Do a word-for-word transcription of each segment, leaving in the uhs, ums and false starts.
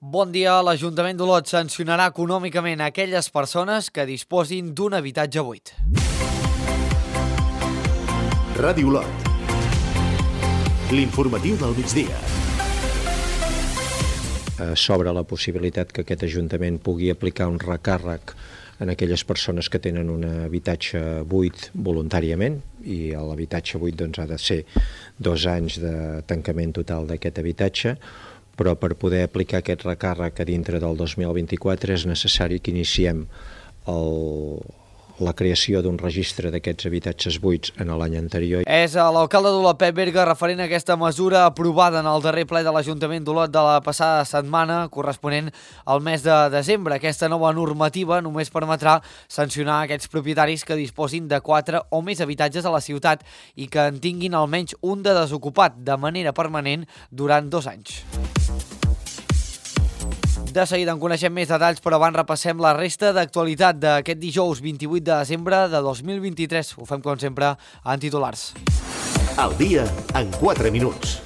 Bon dia. L'Ajuntament d'Olot sancionarà econòmicament aquelles persones que disposin d'un habitatge buit. Ràdio Olot. L'informatiu del migdia. S'obre la possibilitat que aquest Ajuntament pugui aplicar un recàrrec en aquelles persones que tenen un habitatge buit voluntàriament, i l'habitatge buit doncs, ha de ser dos anys de tancament total d'aquest habitatge, però per poder aplicar aquest recàrrec a dintre del dos mil vint-i-quatre és necessari que iniciem el, la creació d'un registre d'aquests habitatges buits en l'any anterior. És l'alcalde d'Olot, Pep Berga, referent a aquesta mesura aprovada en el darrer ple de l'Ajuntament d'Olot de la passada setmana, corresponent al mes de desembre. Aquesta nova normativa només permetrà sancionar aquests propietaris que disposin de quatre o més habitatges a la ciutat i que en tinguin almenys un de desocupat de manera permanent durant dos anys. De seguida en coneixem més detalls, però abans repassem la resta d'actualitat d'aquest dijous vint-i-vuit de desembre de dos mil vint-i-tres. Ho fem, com sempre, en titulars. Al dia, en quatre minuts.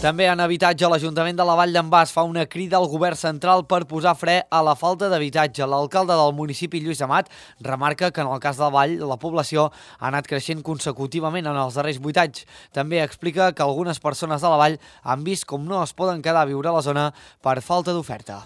També en habitatge, l'Ajuntament de la Vall d'en Bas fa una crida al govern central per posar fre a la falta d'habitatge. L'alcalde del municipi, Lluís Amat, remarca que en el cas de la Vall la població ha anat creixent consecutivament en els darrers vuit anys. També explica que algunes persones de la Vall han vist com no es poden quedar a viure a la zona per falta d'oferta.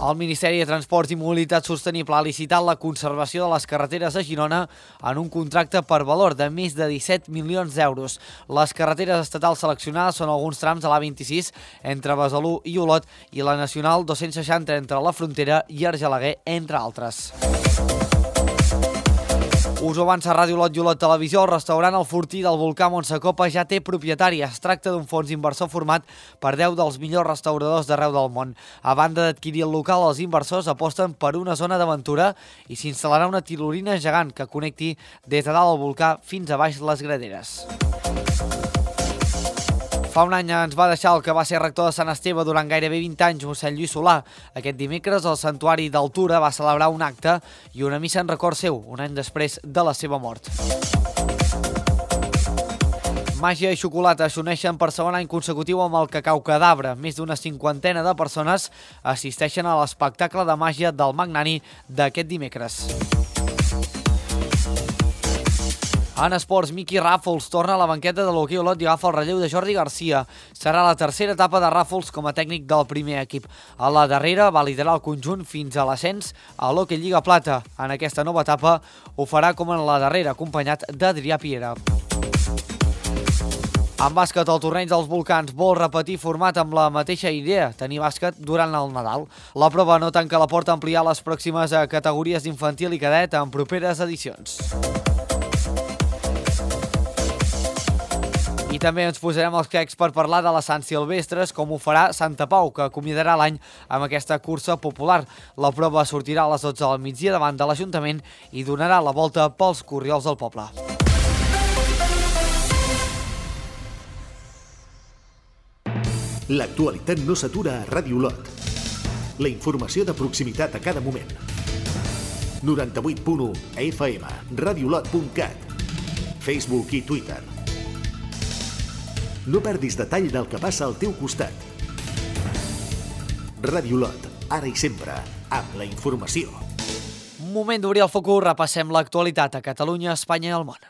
El Ministeri de Transports i Mobilitat Sostenible ha licitat la conservació de les carreteres de Girona en un contracte per valor de més de disset milions d'euros. Les carreteres estatals seleccionades són alguns trams de l'A vint-i-sis entre Besalú i Olot i la Nacional dos-cents seixanta entre la Frontera i Argelaguer, entre altres. Us ho avança Ràdio Olot i Olot Televisió. El restaurant El Fortí del Volcà Montsecopa ja té propietari. Es tracta d'un fons inversor format per deu dels millors restauradors d'arreu del món. A banda d'adquirir el local, els inversors aposten per una zona d'aventura i s'instal·larà una tirolina gegant que connecti des de dalt al volcà fins a baix les graderes. Fa un any ens va deixar el que va ser rector de Sant Esteve durant gairebé vint anys, mossèn Lluís Solà. Aquest dimecres el Santuari d'Altura va celebrar un acte i una missa en record seu, un any després de la seva mort. Màgia i xocolata s'uneixen per segon any consecutiu amb el Cacau Cadabra. Més d'una cinquantena de persones assisteixen a l'espectacle de màgia del Magnani d'aquest dimecres. En esports, Miqui Ràfols torna a la banqueta de l'hoquei Olot i agafa el relleu de Jordi Garcia. Serà la tercera etapa de Ràfols com a tècnic del primer equip. A la darrera va liderar el conjunt fins a l'ascens a l'Hockey Lliga Plata. En aquesta nova etapa ho farà com en la darrera, acompanyat d'Adrià Piera. En bàsquet, el torneig dels Volcans vol repetir format amb la mateixa idea, tenir bàsquet durant el Nadal. La prova no tanca la porta a ampliar les pròximes categories d'infantil i cadet en properes edicions. I també ens posarem els quecs per parlar de les Sant Silvestres, com ho farà Santa Pau, que acomiadarà l'any amb aquesta cursa popular. La prova sortirà a les dotze del migdia davant de l'Ajuntament i donarà la volta pels corriols del poble. L'actualitat no s'atura a Ràdio Olot. La informació de proximitat a cada moment. noranta-vuit punt u F M, radiolot punt cat, Facebook i Twitter. No perdis detall del que passa al teu costat. Ràdio Olot, ara i sempre, amb la informació. Moment d'obrir el focus, repassem l'actualitat a Catalunya, Espanya i el món.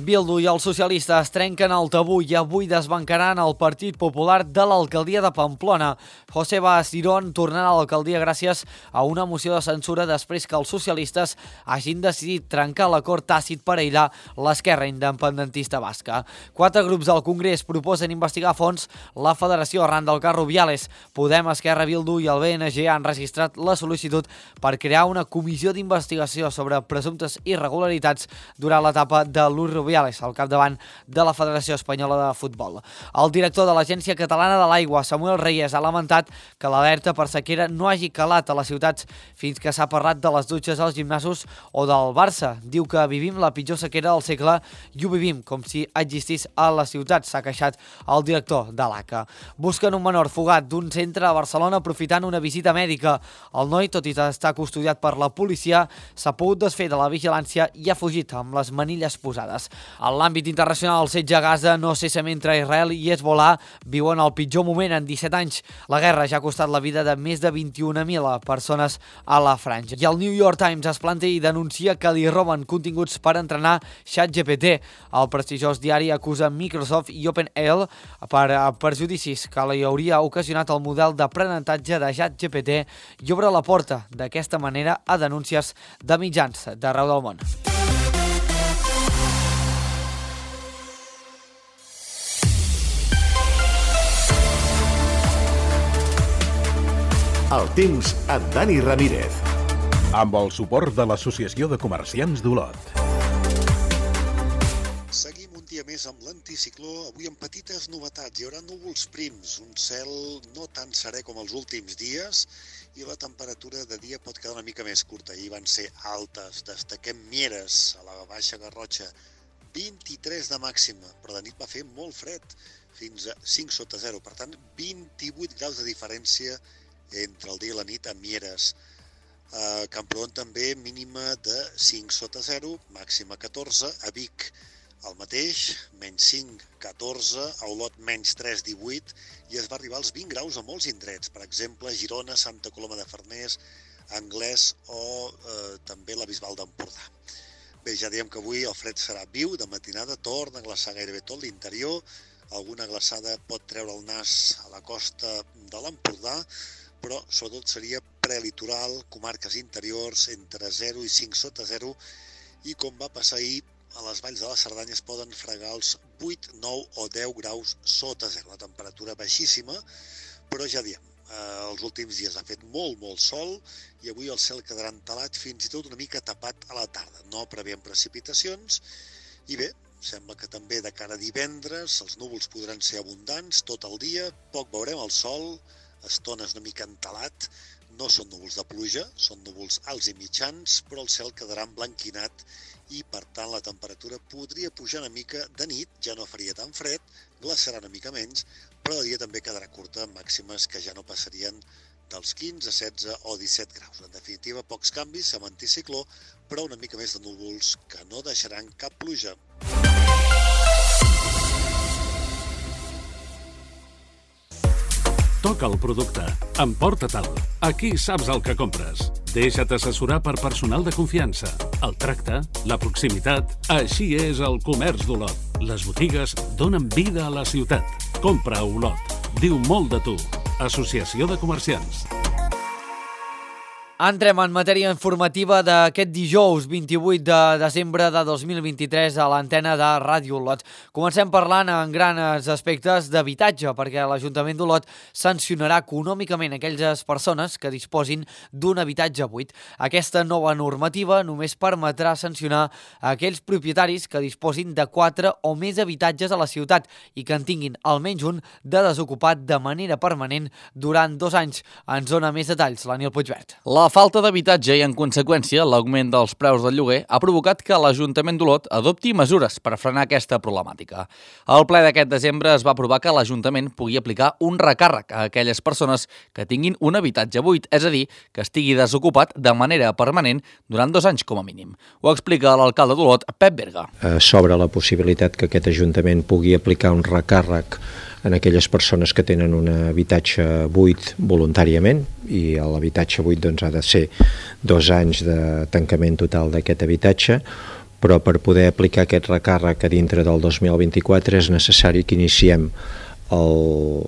Bildu i els socialistes trenquen el tabú i avui desbancaran el Partit Popular de l'alcaldia de Pamplona. Joseba Asirón tornarà a l'alcaldia gràcies a una moció de censura després que els socialistes hagin decidit trencar l'acord tàcit per aïllar l'esquerra independentista basca. Quatre grups del Congrés proposen investigar a fons la federació arran del cas Rubiales. Podem, Esquerra, Bildu i el B N G han registrat la sol·licitud per crear una comissió d'investigació sobre presumptes irregularitats durant l'etapa de Luis Rubiales. Rubiales, al capdavant de la Federació Espanyola de Futbol. El director de l'Agència Catalana de l'Aigua, Samuel Reyes, ha lamentat que l'alerta per sequera no hagi calat a les ciutats fins que s'ha parlat de les dutxes als gimnasos o del Barça. Diu que vivim la pitjor sequera del segle i ho vivim com si existís a la ciutat, s'ha queixat el director de l'A C A. Busquen un menor fugat d'un centre a Barcelona aprofitant una visita mèdica. El noi, tot i estar custodiat per la policia, s'ha pogut desfer de la vigilància i ha fugit amb les manilles posades. En l'àmbit internacional, el setge a Gaza no cessa mentre Israel i Hezbollah viuen el pitjor moment en disset anys. La guerra ja ha costat la vida de més de vint-i-un mil persones a la franja. I el New York Times es planta i denuncia que li roben continguts per entrenar ChatGPT. El prestigiós diari acusa Microsoft i OpenAI per perjudicis que li hauria ocasionat el model d'aprenentatge de ChatGPT i obre la porta d'aquesta manera a denúncies de mitjans d'arreu del món. El temps amb Dani Ramírez. Amb el suport de l'Associació de Comerciants d'Olot. Seguim un dia més amb l'anticicló, avui amb petites novetats. Hi haurà núvols prims, un cel no tan serè com els últims dies i la temperatura de dia pot quedar una mica més curta. Ahir van ser altes, destaquem Mieres, a la Baixa Garrotxa, vint-i-tres de màxima, però de nit va fer molt fred, fins a cinc sota zero, per tant vint-i-vuit graus de diferència entre el dia i la nit a Mieres. A Camprodon també mínima de cinc sota zero, màxima catorze, a Vic el mateix, menys cinc, catorze, a Olot menys tres, divuit, i es va arribar als vint graus a molts indrets, per exemple, Girona, Santa Coloma de Farners, Anglès o eh, també la Bisbal d'Empordà. Bé, ja diem que avui el fred serà viu, de matinada torna a glaçar gairebé tot l'interior, alguna glaçada pot treure el nas a la costa de l'Empordà, però sobretot seria prelitoral, comarques interiors, entre zero i cinc sota zero, i com va passar ahir, a les valls de la Cerdanya es poden fregar els vuit, nou o deu graus sota zero, una temperatura baixíssima, però ja diem, eh, els últims dies ha fet molt, molt sol, i avui el cel quedarà entelat, fins i tot una mica tapat a la tarda. No preveiem precipitacions, i bé, sembla que també de cara a divendres els núvols podran ser abundants tot el dia, poc veurem el sol, estones una mica entelat, no són núvols de pluja, són núvols alts i mitjans, però el cel quedarà emblanquinat i, per tant, la temperatura podria pujar una mica de nit, ja no faria tan fred, glaçarà una mica menys, però de dia també quedarà curta, màximes que ja no passarien dels quinze, setze o disset graus. En definitiva, pocs canvis amb anticicló, però una mica més de núvols que no deixaran cap pluja. Toca el producte. Emporta-te'l. Aquí saps el que compres. Deixa't assessorar per personal de confiança. El tracte, la proximitat, així és el comerç d'Olot. Les botigues donen vida a la ciutat. Compra a Olot. Diu molt de tu. Associació de Comerciants. Entrem en matèria informativa d'aquest dijous vint-i-vuit de desembre de dos mil vint-i-tres a l'antena de Ràdio Olot. Comencem parlant en grans aspectes d'habitatge, perquè l'Ajuntament d'Olot sancionarà econòmicament aquelles persones que disposin d'un habitatge buit. Aquesta nova normativa només permetrà sancionar aquells propietaris que disposin de quatre o més habitatges a la ciutat i que en tinguin almenys un de desocupat de manera permanent durant dos anys. Ens dona més detalls l'Aniel Puigvert. La falta d'habitatge i, en conseqüència, l'augment dels preus del lloguer ha provocat que l'Ajuntament d'Olot adopti mesures per frenar aquesta problemàtica. Al ple d'aquest desembre es va aprovar que l'Ajuntament pugui aplicar un recàrrec a aquelles persones que tinguin un habitatge buit, és a dir, que estigui desocupat de manera permanent durant dos anys com a mínim. Ho explica l'alcalde d'Olot, Pep Berga. Eh, sobre la possibilitat que aquest Ajuntament pugui aplicar un recàrrec en aquelles persones que tenen un habitatge buit voluntàriament, i l'habitatge buit doncs, ha de ser dos anys de tancament total d'aquest habitatge, però per poder aplicar aquest recàrrec a dintre del dos mil vint-i-quatre és necessari que iniciem el,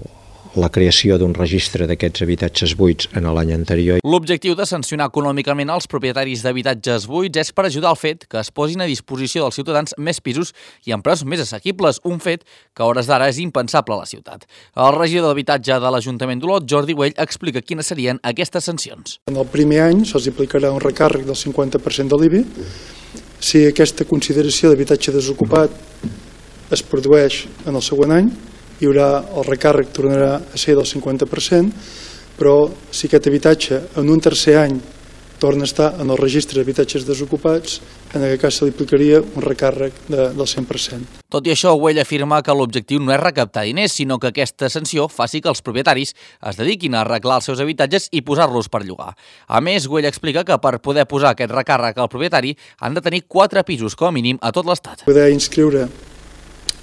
la creació d'un registre d'aquests habitatges buits en l'any anterior. L'objectiu de sancionar econòmicament els propietaris d'habitatges buits és per ajudar al fet que es posin a disposició dels ciutadans més pisos i amb preus més assequibles, un fet que a hores d'ara és impensable a la ciutat. El regidor d'habitatge de l'Ajuntament d'Olot, Jordi Güell, explica quines serien aquestes sancions. En el primer any se'ls aplicarà un recàrrec del cinquanta per cent de l'I B I Si aquesta consideració d'habitatge desocupat es produeix en el següent any, hi haurà, el recàrrec tornarà a ser del cinquanta per cent, però si aquest habitatge en un tercer any torna a estar en el registre d'habitatges desocupats, en aquest cas se li aplicaria un recàrrec de, del cent per cent. Tot i això, Güell afirma que l'objectiu no és recaptar diners, sinó que aquesta sanció faci que els propietaris es dediquin a arreglar els seus habitatges i posar-los per llogar. A més, Güell explica que per poder posar aquest recàrrec al propietari han de tenir quatre pisos com a mínim a tot l'Estat. Poder inscriure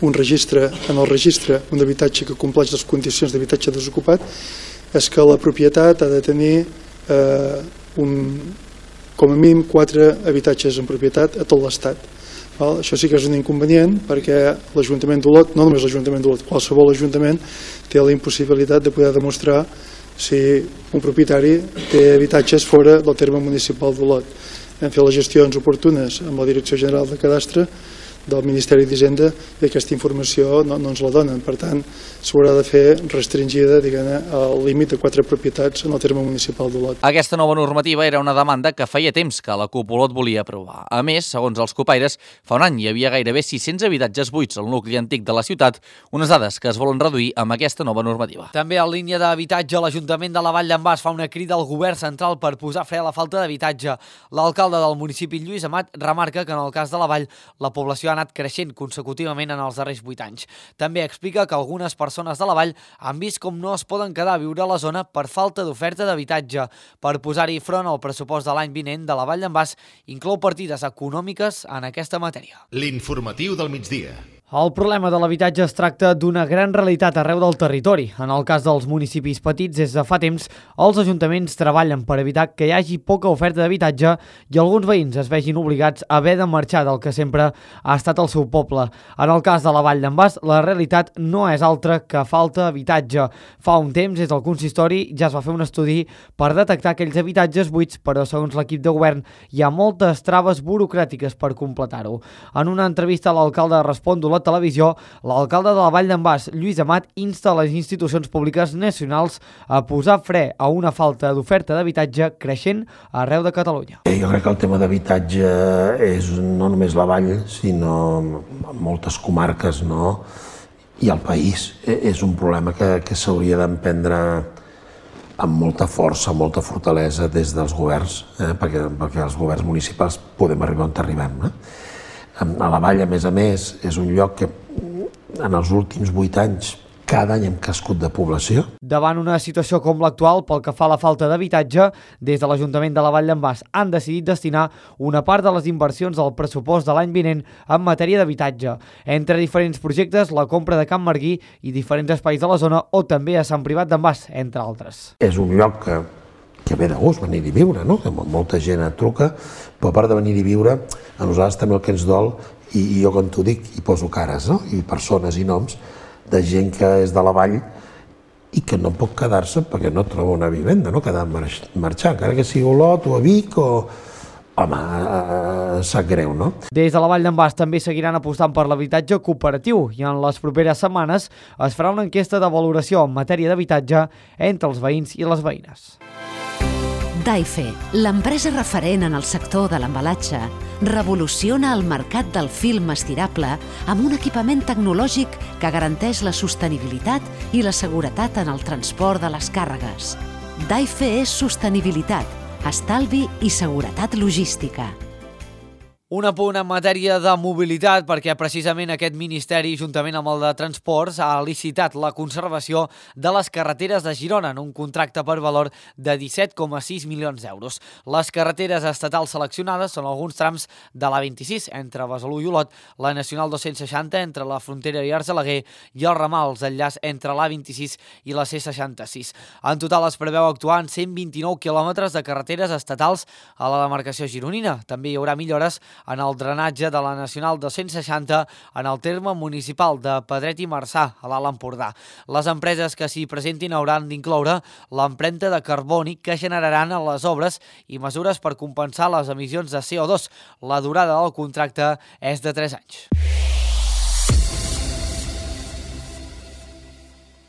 un registre en el registre un habitatge que compleix les condicions d'habitatge desocupat és que la propietat ha de tenir eh, un, com a mínim quatre habitatges en propietat a tot l'Estat. Això sí que és un inconvenient perquè l'Ajuntament d'Olot, no només l'Ajuntament d'Olot, qualsevol ajuntament té la impossibilitat de poder demostrar si un propietari té habitatges fora del terme municipal d'Olot. Hem fet les gestions oportunes amb la Direcció General de Cadastre del Ministeri d'Hisenda i aquesta informació no, no ens la donen. Per tant, s'haurà de fer restringida, diguem-ne, al límit de quatre propietats en el terme municipal d'Olot. Aquesta nova normativa era una demanda que feia temps que la C U P Olot volia aprovar. A més, segons els copaires, fa un any hi havia gairebé sis-cents habitatges buits al nucli antic de la ciutat, unes dades que es volen reduir amb aquesta nova normativa. També en línia d'habitatge, l'Ajuntament de la Vall d'en Bas fa una crida al govern central per posar fre a la falta d'habitatge. L'alcalde del municipi, Lluís Amat, remarca que en el cas de la Vall, la població ha anat creixent consecutivament en els darrers vuit anys. També explica que algunes persones de la Vall han vist com no es poden quedar a viure a la zona per falta d'oferta d'habitatge. Per posar-hi front al pressupost de l'any vinent de la Vall d'en Bas inclou partides econòmiques en aquesta matèria. L'informatiu del migdia. El problema de l'habitatge es tracta d'una gran realitat arreu del territori. En el cas dels municipis petits, des de fa temps, els ajuntaments treballen per evitar que hi hagi poca oferta d'habitatge i alguns veïns es vegin obligats a haver de marxar del que sempre ha estat el seu poble. En el cas de la Vall d'en Bas, la realitat no és altra que falta d'habitatge. Fa un temps, des del consistori, ja es va fer un estudi per detectar aquells habitatges buits, però segons l'equip de govern hi ha moltes traves burocràtiques per completar-ho. En una entrevista a l'alcalde de Respon d'Olot Televisió, l'alcalde de la Vall d'en Bas, Lluís Amat, insta les institucions públiques nacionals a posar fre a una falta d'oferta d'habitatge creixent arreu de Catalunya. Jo crec que el tema d'habitatge és no només la Vall, sinó moltes comarques, no? I el país. És un problema que, que s'hauria d'emprendre amb molta força, amb molta fortalesa des dels governs, eh? perquè, perquè els governs municipals podem arribar on arribem, no? A la Vall, a més a més, és un lloc que en els últims vuit anys cada any hem crescut de població. Davant una situació com l'actual, pel que fa a la falta d'habitatge, des de l'Ajuntament de la Vall d'en Bas han decidit destinar una part de les inversions del pressupost de l'any vinent en matèria d'habitatge. Entre diferents projectes, la compra de Can Marguí i diferents espais de la zona o també a Sant Privat d'en Bas, entre altres. És un lloc que que ve de gust venir-hi a viure, no? Que molta gent et truca, però a part de venir-hi a viure, a nosaltres també el que ens dol, i, i jo com t'ho dic, hi poso cares, no? I persones i noms de gent que és de la Vall i que no pot quedar-se perquè no troba una vivenda, no? Que ha de marxar, encara que sigui a Olot o a Vic o... Home, eh, sap greu, no? Des de la Vall d'en Bas també seguiran apostant per l'habitatge cooperatiu i en les properes setmanes es farà una enquesta de valoració en matèria d'habitatge entre els veïns i les veïnes. Daife, l'empresa referent en el sector de l'embalatge, revoluciona el mercat del film estirable amb un equipament tecnològic que garanteix la sostenibilitat i la seguretat en el transport de les càrregues. Daife és sostenibilitat, estalvi i seguretat logística. Un apunt en matèria de mobilitat, perquè precisament aquest Ministeri, juntament amb el de Transports, ha licitat la conservació de les carreteres de Girona en un contracte per valor de disset coma sis milions d'euros. Les carreteres estatals seleccionades són alguns trams de l'A vint-i-sis entre Besalú i Olot, la Nacional dos-cents seixanta entre la Frontera i Argelaguer i els ramals d'enllaç entre l'A vint-i-sis i la C seixanta-sis. En total es preveu actuar en cent vint-i-nou quilòmetres de carreteres estatals a la demarcació gironina. També hi haurà millores en el drenatge de la Nacional dos-cents seixanta en el terme municipal de Pedret i Marçà, a l'Alt Empordà. Les empreses que s'hi presentin hauran d'incloure l'empremta de carboni que generaran a les obres i mesures per compensar les emissions de C O dos. La durada del contracte és de tres anys.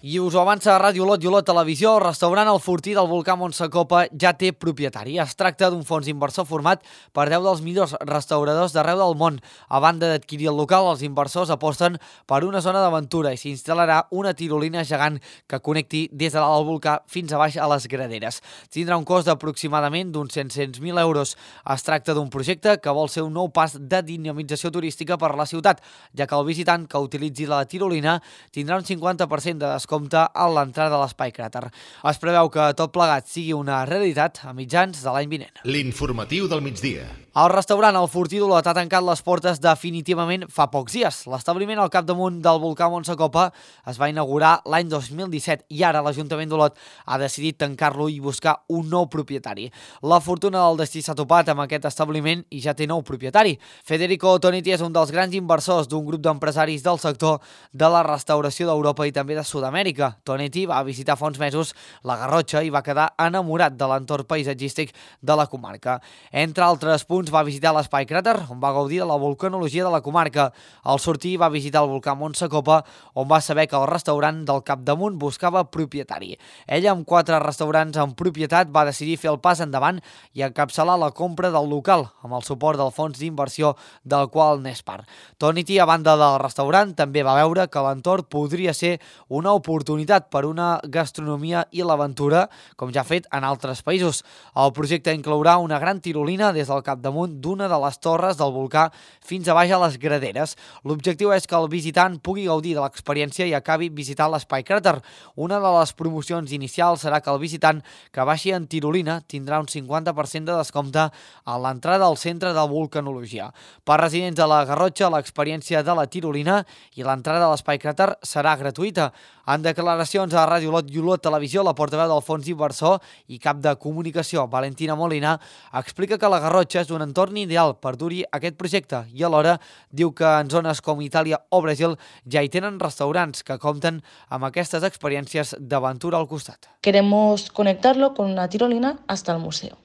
I us ho avança Ràdio Olot i Olot Televisió, el restaurant El Fortí del volcà Montsacopa ja té propietari. Es tracta d'un fons inversor format per deu dels millors restauradors d'arreu del món. A banda d'adquirir el local, els inversors aposten per una zona d'aventura i s'instal·larà una tirolina gegant que connecti des de dalt del volcà fins a baix a les graderes. Tindrà un cost d'aproximadament d'uns set-cents mil euros. Es tracta d'un projecte que vol ser un nou pas de dinamització turística per la ciutat, ja que el visitant que utilitzi la tirolina tindrà un cinquanta per cent de descompte compta a l'entrada de l'Espai Cràter. Es preveu que tot plegat sigui una realitat a mitjans de l'any vinent. L'informatiu del migdia. El restaurant El Fortí d'Olot ha tancat les portes definitivament fa pocs dies. L'establiment al capdamunt del volcà Montsacopa es va inaugurar l'any dos mil disset i ara l'Ajuntament d'Olot ha decidit tancar-lo i buscar un nou propietari. La fortuna del destí s'ha topat amb aquest establiment i ja té nou propietari. Federico Tonetti és un dels grans inversors d'un grup d'empresaris del sector de la restauració d'Europa i també de Sud-amèrica. Tonetti va visitar fa uns mesos la Garrotxa i va quedar enamorat de l'entorn paisatgístic de la comarca. Entre altres punts, va visitar l'Espai Cràter, on va gaudir de la volcanologia de la comarca. Al sortir va visitar el volcà Montsacopa, on va saber que el restaurant del capdamunt buscava propietari. Ell, amb quatre restaurants en propietat, va decidir fer el pas endavant i encapçalar la compra del local, amb el suport del fons d'inversió del qual n'és part. Tonetti, a banda del restaurant, també va veure que l'entorn podria ser una oportunitat per una gastronomia i l'aventura, com ja ha fet en altres països. El projecte inclourà una gran tirolina des del capdamunt d'una de les torres del volcà fins a baix a les graderes. L'objectiu és que el visitant pugui gaudir de l'experiència i acabi visitant l'Espai Cràter. Una de les promocions inicials serà que el visitant que baixi en tirolina tindrà un cinquanta per cent de descompte a l'entrada al centre de volcanologia. Per residents de la Garrotxa, l'experiència de la tirolina i l'entrada a l'Espai Cràter serà gratuïta. En declaracions a Ràdio Olot i Olot Televisió, la portaveu del fons inversor i cap de comunicació, Valentina Molina, explica que la Garrotxa és un entorn ideal per dur-hi aquest projecte i alhora diu que en zones com Itàlia o Brasil ja hi tenen restaurants que compten amb aquestes experiències d'aventura al costat. Queremos conectarlo con una tirolina hasta el museo.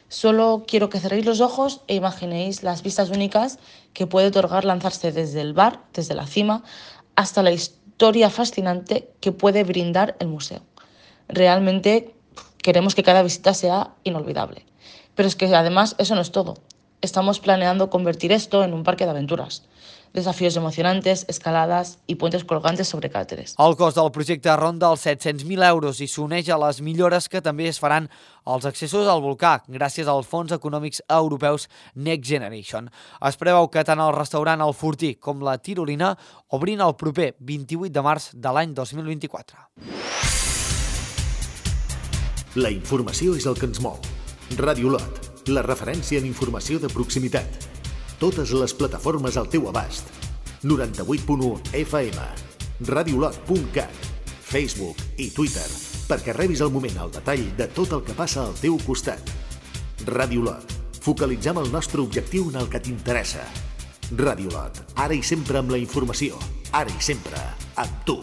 Solo quiero que cerréis los ojos e imaginéis las vistas únicas que puede otorgar lanzarse desde el bar, desde la cima, hasta la historia fascinante que puede brindar el museo. Realmente queremos que cada visita sea inolvidable. Pero es que además eso no es todo. Estamos planeando convertir esto en un parque de aventuras. Desafíos emocionantes, escaladas i puentes colgantes sobre càteres. El cost del projecte ronda els set-cents mil euros i s'uneix a les millores que també es faran als accessos al volcà gràcies als fons econòmics europeus Next Generation. Es preveu que tant el restaurant El Fortí com la tirolina obrin el proper vint-i-vuit de març de l'any dos mil vint-i-quatre. La informació és el que ens mou. Ràdio Olot, la referència en informació de proximitat. Totes les plataformes al teu abast. noranta-vuit punt u F M, radiolot punt cat, Facebook i Twitter, perquè rebis al moment el detall de tot el que passa al teu costat. Ràdio Olot, focalitzem el nostre objectiu en el que t'interessa. Ràdio Olot, ara i sempre amb la informació, ara i sempre amb tu.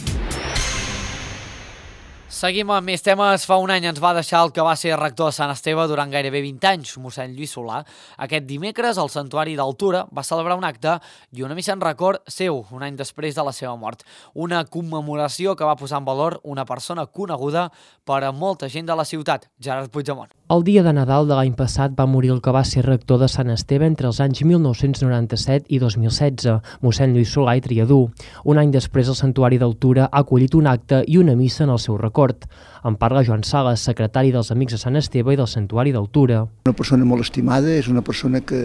Seguim amb més temes. Fa un any ens va deixar el que va ser rector de Sant Esteve durant gairebé vint anys, mossèn Lluís Solà. Aquest dimecres, el Santuari d'Altura va celebrar un acte i una missa en record seu, un any després de la seva mort. Una commemoració que va posar en valor una persona coneguda per a molta gent de la ciutat, Gerard Puigdemont. El dia de Nadal de l'any passat va morir el que va ser rector de Sant Esteve entre els anys mil nou-cents noranta-set i dos mil setze, mossèn Lluís Solà i Triadú. Un any després, el Santuari d'Altura ha acollit un acte i una missa en el seu record. En parla Joan Sales, secretari dels Amics de Sant Esteve i del Santuari d'Altura. Una persona molt estimada, és una persona que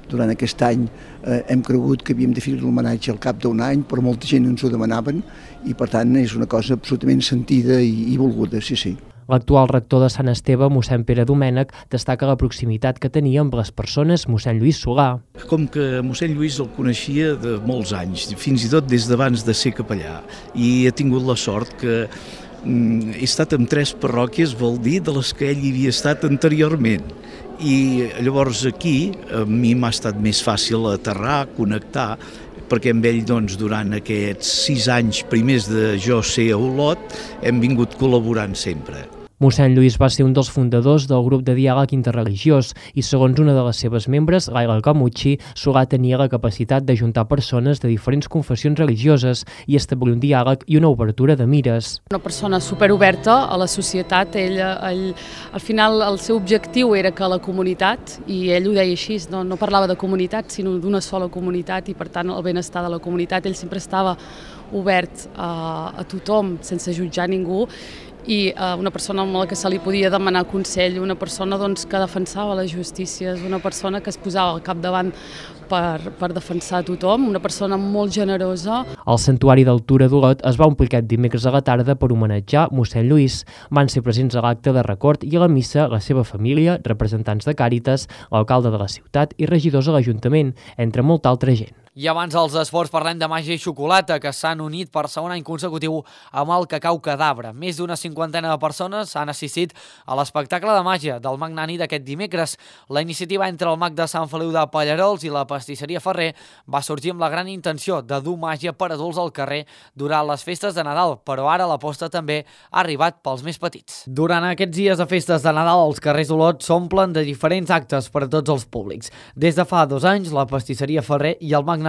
durant aquest any eh, hem cregut que havíem de fer l'homenatge al cap d'un any, però molta gent ens ho demanaven i per tant és una cosa absolutament sentida i, i volguda, sí, sí. L'actual rector de Sant Esteve, mossèn Pere Domènech, destaca la proximitat que tenia amb les persones mossèn Lluís Solà. Com que mossèn Lluís el coneixia de molts anys, fins i tot des d'abans de ser capellà, i ha tingut la sort que he estat en tres parròquies, vol dir, de les que ell hi havia estat anteriorment. I llavors aquí a mi m'ha estat més fàcil aterrar, connectar, perquè amb ell doncs, durant aquests sis anys primers de jo ser a Olot hem vingut col·laborant sempre. Mossèn Lluís va ser un dels fundadors del grup de diàleg interreligiós i, segons una de les seves membres, Laila Camucci, Solà tenia la capacitat d'ajuntar persones de diferents confessions religioses i establir un diàleg i una obertura de mires. Una persona superoberta a la societat, ell, ell, al final el seu objectiu era que la comunitat, i ell ho deia així, no, no parlava de comunitat sinó d'una sola comunitat i per tant el benestar de la comunitat, ell sempre estava obert a, a tothom sense jutjar ningú i eh, una persona amb la que se li podia demanar consell, una persona doncs, que defensava les justícies, una persona que es posava al capdavant per, per defensar tothom, una persona molt generosa. El Santuari del Tura d'Olot es va omplir aquest dimecres a la tarda per homenatjar mossèn Lluís. Van ser presents a l'acte de record i a la missa la seva família, representants de Càritas, l'alcalde de la ciutat i regidors a l'Ajuntament, entre molta altra gent. I abans dels esports parlem de màgia i xocolata, que s'han unit per segon any consecutiu amb el Cacau Cadabra. Més d'una cinquantena de persones han assistit a l'espectacle de màgia del Magnani d'aquest dimecres. La iniciativa entre el mag de Sant Feliu de Pallarols i la pastisseria Ferrer va sorgir amb la gran intenció de dur màgia per adults al carrer durant les festes de Nadal, però ara l'aposta també ha arribat pels més petits. Durant aquests dies de festes de Nadal, els carrers d'Olot s'omplen de diferents actes per a tots els públics. Des de fa dos anys, la pastisseria Ferrer i el Magnani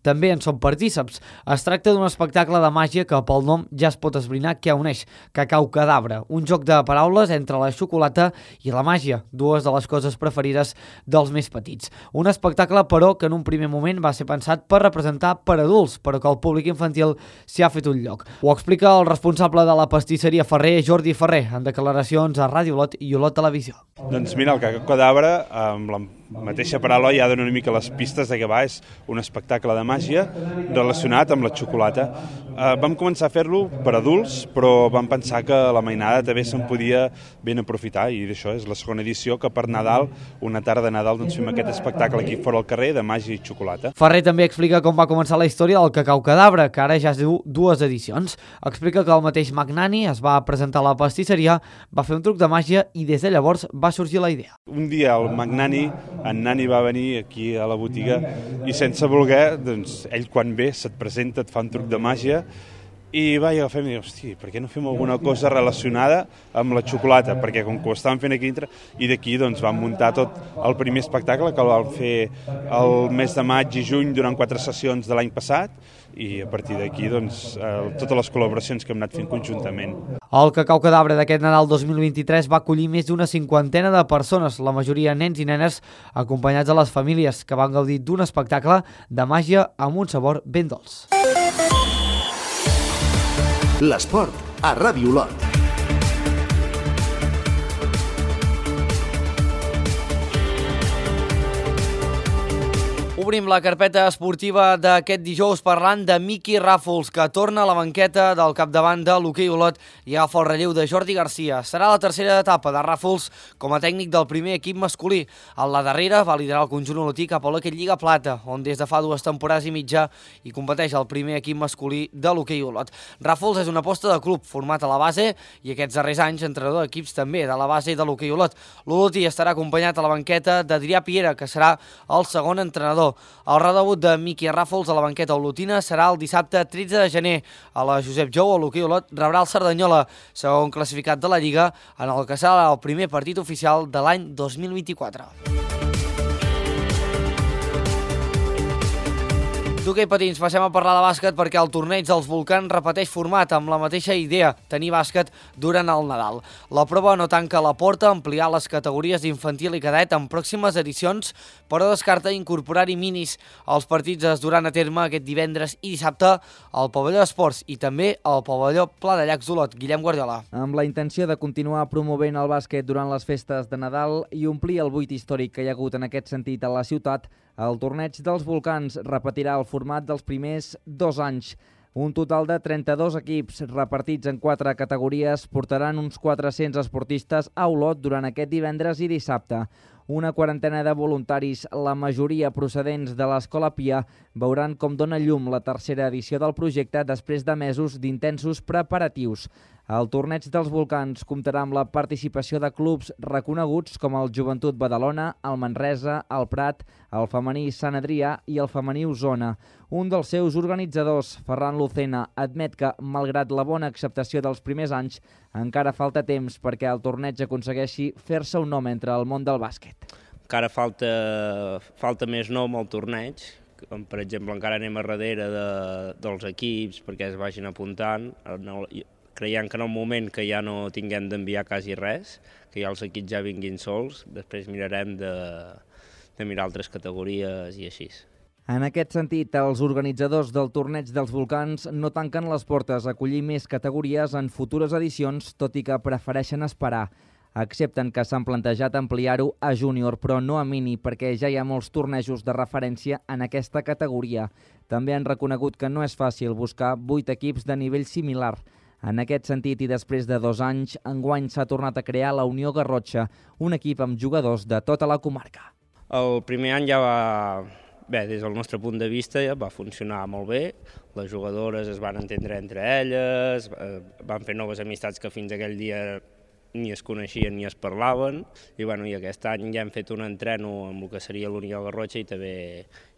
també en són partíceps. Es tracta d'un espectacle de màgia que pel nom ja es pot esbrinar què uneix: Cacau Cadabra, un joc de paraules entre la xocolata i la màgia, dues de les coses preferides dels més petits. Un espectacle, però, que en un primer moment va ser pensat per representar per adults, però que el públic infantil s'hi ha fet un lloc. Ho explica el responsable de la pastisseria Ferrer, Jordi Ferrer, en declaracions a Ràdio Olot i Olot Televisió. Doncs mira, el Cacau Cadabra, amb la mateixa paraula ja dona una mica les pistes de què va, és un espectacle de màgia relacionat amb la xocolata. Eh, vam començar a fer-lo per adults, però vam pensar que la mainada també se'n podia ben aprofitar, i d'això és la segona edició, que per Nadal, una tarda de Nadal, doncs fem aquest espectacle aquí fora al carrer de màgia i xocolata. Ferrer també explica com va començar la història del Cacau Cadabra, que ara ja es diu dues edicions. Explica que el mateix Magnani es va presentar a la pastisseria, va fer un truc de màgia i des de llavors va sorgir la idea. Un dia el Magnani, en Nani va venir aquí a la botiga i sense voler, doncs, ell quan ve se't presenta, et fa un truc de màgia i va, i agafem i diu, hosti, per què no fem alguna cosa relacionada amb la xocolata? Perquè com que ho estàvem fent aquí dintre, i d'aquí doncs vam muntar tot el primer espectacle que el vam fer el mes de maig i juny durant quatre sessions de l'any passat, i a partir d'aquí doncs, eh, totes les col·laboracions que hem anat fent conjuntament. El Cacau Cadabra d'aquest Nadal dos mil vint-i-tres va acollir més d'una cinquantena de persones, la majoria nens i nenes, acompanyats de les famílies, que van gaudir d'un espectacle de màgia amb un sabor ben dolç. L'esport a Ràdio Olot. Obrim la carpeta esportiva d'aquest dijous parlant de Miqui Ràfols, que torna a la banqueta del capdavant de l'hoquei Olot i agafa el relleu de Jordi Garcia. Serà la tercera etapa de Ràfols com a tècnic del primer equip masculí. A la darrera va liderar el conjunt olotí cap a l'hoquei Lliga Plata, on des de fa dues temporades i mitja hi competeix el primer equip masculí de l'hoquei Olot. Ràfols és una aposta de club format a la base i aquests darrers anys entrenador d'equips també de la base de l'hoquei Olot. L'olotí estarà acompanyat a la banqueta d'Adrià Piera, que serà el segon entrenador. El redebut de Miqui Ràfols a la banqueta olotina serà el dissabte tretze de gener. A la Josep Jou, l'hoquei Olot rebrà el Cerdanyola, segon classificat de la Lliga, en el que serà el primer partit oficial de l'any dos mil vint-i-quatre. D'hoquei patins passem a parlar de bàsquet perquè el torneig dels Volcans repeteix format amb la mateixa idea, tenir bàsquet durant el Nadal. La prova no tanca la porta a ampliar les categories d'infantil i cadet en pròximes edicions, però descarta incorporar-hi minis. Els partits es duran a terme aquest divendres i dissabte al pavelló d'esports i també al pavelló Pla de Llacs d'Olot. Guillem Guardiola. Amb la intenció de continuar promovent el bàsquet durant les festes de Nadal i omplir el buit històric que hi ha hagut en aquest sentit a la ciutat, el torneig dels Volcans repetirà el format dels primers dos anys. Un total de trenta-dos equips repartits en quatre categories portaran uns quatre-cents esportistes a Olot durant aquest divendres i dissabte. Una quarantena de voluntaris, la majoria procedents de l'Escola Pia, veuran com dona llum la tercera edició del projecte després de mesos d'intensos preparatius. El torneig dels volcans comptarà amb la participació de clubs reconeguts com el Joventut Badalona, el Manresa, el Prat, el femení Sant Adrià i el femení Osona. Un dels seus organitzadors, Ferran Lucena, admet que, malgrat la bona acceptació dels primers anys, encara falta temps perquè el torneig aconsegueixi fer-se un nom entre el món del bàsquet. Encara falta, falta més nom al torneig. Per exemple, encara anem a darrere de, dels equips perquè es vagin apuntant. Creiem que en el moment que ja no tinguem d'enviar quasi res, que ja els equips ja vinguin sols, després mirarem de, de mirar altres categories i així. En aquest sentit, els organitzadors del torneig dels volcans no tanquen les portes a acollir més categories en futures edicions, tot i que prefereixen esperar. Accepten que s'han plantejat ampliar-ho a júnior, però no a mini, perquè ja hi ha molts tornejos de referència en aquesta categoria. També han reconegut que no és fàcil buscar vuit equips de nivell similar. En aquest sentit, i després de dos anys, enguany s'ha tornat a crear la Unió Garrotxa, un equip amb jugadors de tota la comarca. El primer any ja va... Bé, des del nostre punt de vista ja va funcionar molt bé. Les jugadores es van entendre entre elles, van fer noves amistats que fins aquell dia ni es coneixien ni es parlaven. I, bueno, i aquest any ja hem fet un entreno amb el que seria l'Unió Garrotxa i també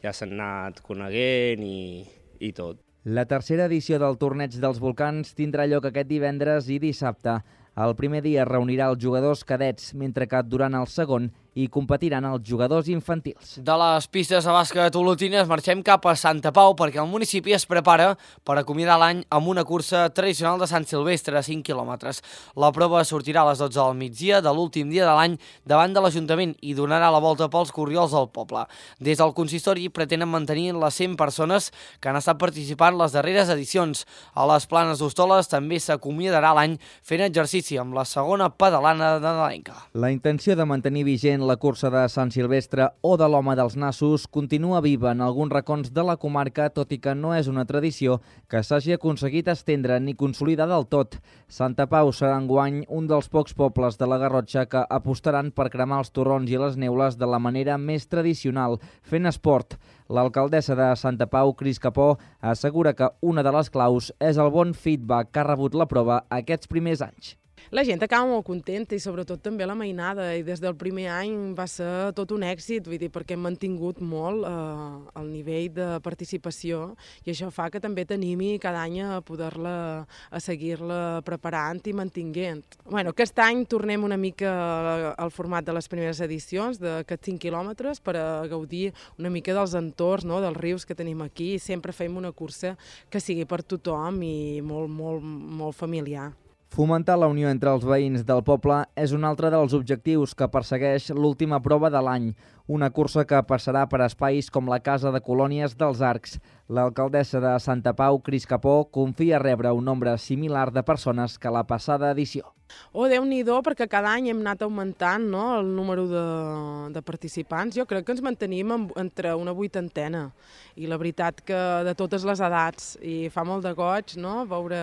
ja s'han anat coneguent i, i tot. La tercera edició del Torneig dels Volcans tindrà lloc aquest divendres i dissabte. El primer dia reunirà els jugadors cadets, mentre que durant el segon hi competiran els jugadors infantils. De les pistes de bàsquet olotines marxem cap a Santa Pau perquè el municipi es prepara per acomiadar l'any amb una cursa tradicional de Sant Silvestre, cinc quilòmetres. La prova sortirà a les dotze del migdia de l'últim dia de l'any davant de l'Ajuntament i donarà la volta pels corriols del poble. Des del consistori pretenen mantenir les cent persones que han estat participant les darreres edicions. A les Planes d'Hostoles també s'acomiadarà l'any fent exercici amb la segona pedalana de nadalenca. La intenció de mantenir vigent la cursa de Sant Silvestre o de l'Home dels Nassos continua viva en alguns racons de la comarca, tot i que no és una tradició que s'hagi aconseguit estendre ni consolidar del tot. Santa Pau serà enguany un dels pocs pobles de la Garrotxa que apostaran per cremar els torrons i les neules de la manera més tradicional, fent esport. L'alcaldessa de Santa Pau, Cris Capó, assegura que una de les claus és el bon feedback que ha rebut la prova aquests primers anys. La gent acaba molt contenta i sobretot també la mainada, i des del primer any va ser tot un èxit, vull dir, perquè hem mantingut molt eh, el nivell de participació i això fa que també t'animi cada any a poder-la, a seguir-la preparant i mantinguent. Bueno, aquest any tornem una mica al format de les primeres edicions, d'aquests cinc quilòmetres, per a gaudir una mica dels entorns, no?, dels rius que tenim aquí, i sempre fem una cursa que sigui per tothom i molt, molt, molt familiar. Fomentar la unió entre els veïns del poble és un altre dels objectius que persegueix l'última prova de l'any, una cursa que passarà per espais com la Casa de Colònies dels Arcs. L'alcaldessa de Santa Pau, Cris Capó, confia rebre un nombre similar de persones que la passada edició. Oh, Déu-n'hi-do, perquè cada any hem anat augmentant, no?, el número de, de participants. Jo crec que ens mantenim en, entre una vuitantena. I la veritat que de totes les edats. I fa molt de goig, no?, veure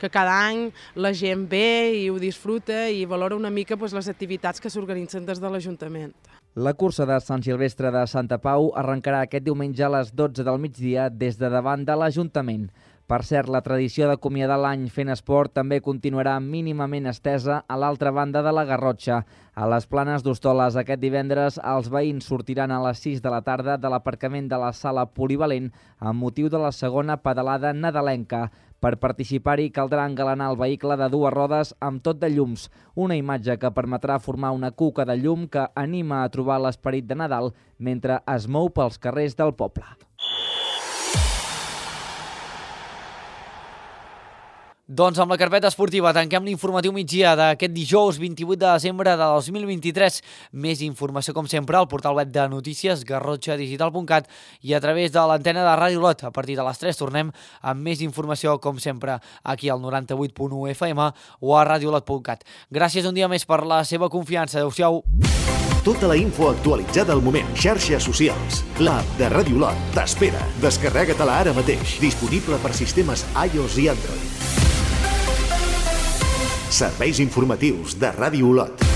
que cada any la gent ve i ho disfruta i valora una mica pues, les activitats que s'organitzen des de l'Ajuntament. La cursa de Sant Silvestre de Santa Pau arrencarà aquest diumenge a les dotze del migdia des de davant de l'Ajuntament. Per cert, la tradició d'acomiadar l'any fent esport també continuarà mínimament estesa a l'altra banda de la Garrotxa. A les Planes d'Hostoles aquest divendres els veïns sortiran a les sis de la tarda de l'aparcament de la sala polivalent amb motiu de la segona pedalada nadalenca. Per participar-hi caldrà engalanar el vehicle de dues rodes amb tot de llums, una imatge que permetrà formar una cuca de llum que anima a trobar l'esperit de Nadal mentre es mou pels carrers del poble. Doncs amb la carpeta esportiva tanquem l'informatiu migdia d'aquest dijous vint-i-vuit de desembre de dos mil vint-i-tres. Més informació, com sempre, al portal web de notícies garrotxa digital punt cat i a través de l'antena de Ràdio Olot. A partir de les tres tornem amb més informació, com sempre, aquí al noranta-vuit punt u F M o a ràdio olot punt cat. Gràcies un dia més per la seva confiança. Adéu-siau. Tota la info actualitzada al moment. Xarxes socials. L'app de Ràdio Olot t'espera. Descarrega-te-la ara mateix. Disponible per sistemes iOS i Android. Serveis informatius de Ràdio Olot.